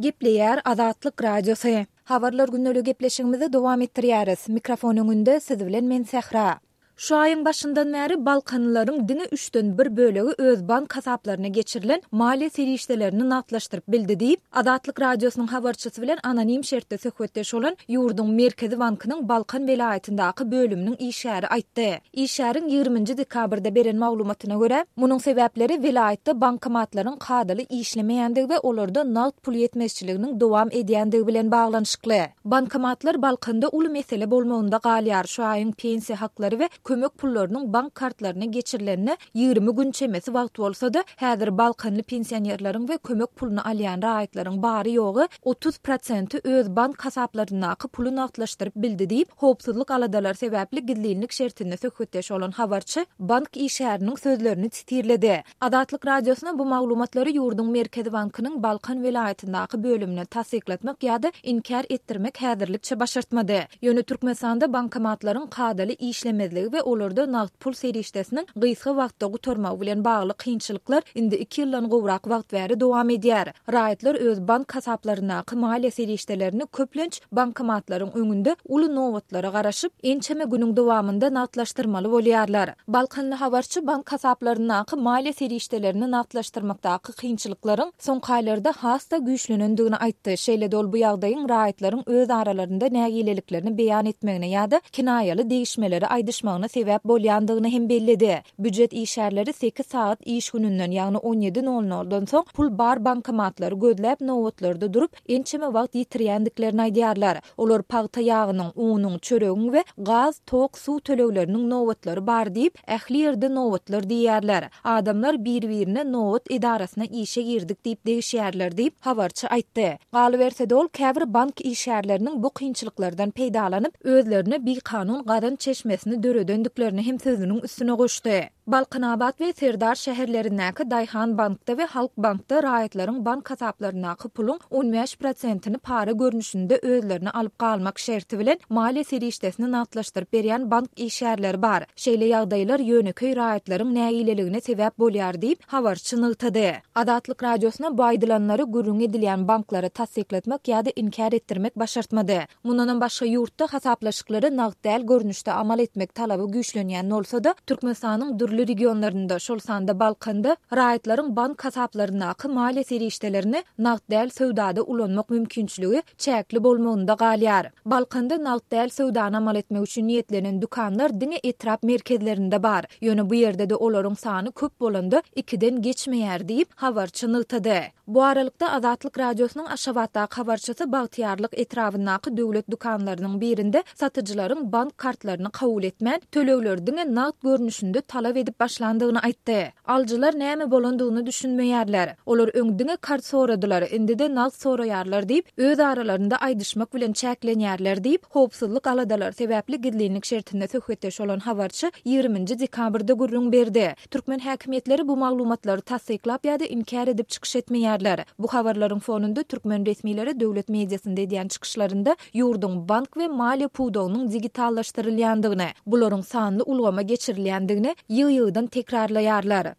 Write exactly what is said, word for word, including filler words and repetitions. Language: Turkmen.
Gepleýär Azatlyk Radiosy. Habarlar gündeligi gepleşigimizi dowam etdirýäris. Mikrofon öňünde siz bilen men Sähra. Şu aýyň başyndan bäri balkanlylaryň diňe üçden bir bölegi öz bank hasaplaryna geçirilen maliýe serişdelerini nagtlaşdyryp bildi diýip, Azatlyk Radiosynyň habarçysy bilen anonim şertde söhbetdeş bolan ýurduň Merkezi bankynyň Balkan welaýatyndaky bölüminiň işgäri aýtdy. Işgäriň ýigriminji dekabrda beren maglumatyna görä, munuň sebäpleri welaýatda bankomatlaryň kadaly işlemeýändigi we olarda nagt pul ýetmezçiliginiň dowam edýändigi bilen baglanyşykly. Bankomatlar Balkanda uly mesele bolmagynda galýar, şu aýyň pensiýa haklary we kömek pullarynyň bank kartlaryna geçirilenine ýigrimi gün çemesi wagt bolsa-da, häzir balkanly pensionerleriň we kömek puluny alýan raýatlaryň bary-ýogy otuz prosenti öz bank hasaplaryndaky puly nagtlaşdyryp bildi diýip, howpsuzlyk aladalary sebäpli gizlinlik şertinde söhbetdeş bolan habarçy bank işgäriniň sözlerini sitirledi. Azatlyk Radiosyna bu maglumatlary ýurduň Merkezi bankynyň Balkan welaýatyndaky bölümine tassyklatmak ýa-da inkär etdirmek häzirlikçe başartmady. Ýöne Türkmenistanda bankomatlaryň kadaly işlemezligi we olarda nagt pul serişdesiniň gysga wagtda gutarmagy bilen bagly kynçylyklar indi iki ýyldan gowrak wagt bäri dowam edýär. Raýatlar öz bank hasaplaryndaky maliýe serişdelerini köplenç bankomatlaryň öňünde uly nobatlara garaşyp, ençeme günüň dowamynda nagtlaşdyrmaly bolýarlar. Balkanly habarçy bank hasaplaryndaky maliýe serişdelerini nagtlaşdyrmakdaky kynçylyklaryň soňky aýlarda has-da güýçlenendigini aýtdy. Şeýle-de ol bu ýagdaýyň raýatlaryň öz aralarynda nägileliklerini beýan etmegine ýa-da kinaýaly degişmeleri aýdyşmagyna sebäp bolýandygyny hem belledi. Býujet işgärleri sekiz sagat iş gününden, ýagny on ýedi nol noldan soň pul bar bankomatlary gözläp nobatlarda durup, ençeme wagt ýitirýändiklerini aýdýarlar. Olar pagta ýagynyň, unuň, çöregiň we gaz, tok, suw tölegleriniň nobatlary bar diýip, ähli ýerde nobatlar diýýärler. Adamlar bir-birine nobat edarasyna işe girdik diýip degişýärler diýip, habarçy aýtdy. Galyberse-de ol käbir bank işgärleriniň bu kynçylyklardan peýdalanyp, özlerine bikanun gazanç çeşmesini döredendiklerini hem sözüniň üstüne goşdy. Balkanabat we Serdar şäherlerindäki Daýhan bankda we Halk bankda raýatlaryň bank hasaplaryndaky puluň on bäş prosentini para görnüşinde özlerine alyp galmak şerti bilen maliýe serişdesini nagtlaşdyryp berýän bank işgärleri bar. Şeýle ýagdaýlar ýönekeý raýatlaryň nägileligine sebäp bolýar diýip, habarçy nygtady. Azatlyk Radiosyna bu aýdylanlary gürrüň edilýän banklary tassyklatmak ýa-da inkär etdirmek başartmady. Mundanam başga ýurtda hasaplaşyklary nagt däl görnüşde amal etmek talaby güýçlenýän bolsa-da, Türkmenistanyň dürli regionlarynda, şol sanda Balkanda raýatlaryň bank hasaplaryndaky maliýe serişdelerini nagt däl söwdada ulanmak mümkinçiligi çäkli bolmagynda galýar. Balkanda nagt däl söwdany amal etmek üçin niýetlenen dükanlar diňe etrap merkezlerinde bar. Ýöne bu ýerde-de olaryň sany köp bolanda ikiden geçmeýär diýip, habarçy nygtady. Bu aralykda Azatlyk Radiosynyň Aşgabatdaky habarçysy Bagtyýarlyk etrabyndaky döwlet dükanlarynyň birinde satyjylaryň bank kartlaryny kabul etmän, tölegleri diňe nagt görnüşinde talap edip başlandygyny aýtdy. Alyjylar näme bolandygyny düşünmeýärler. Olar öň diňe kart soradylar, indi-de nagt soraýarlar diýip, öz aralarynda aýdyşmak bilen çäklenýärler diýip, howpsuzlyk aladalary sebäpli gizlinlik şertinde söhbetdeş bolan habarçy ýigriminji dekabrda gürrüň berdi. Türkmen häkimiýetleri bu maglumatlary tassyklap ýa-da inkär edip çykyş etmeýärler. Bu habarlaryň fonunda türkmen resmileri döwlet mediasynda edýän çykyşlarynda ýurduň bank we maliýe pudagynyň digitallaşdyrylýandygyny, bularyň sanly ulgama geçirilýändigini ýygy-ýygydan tekrarlaýarlar.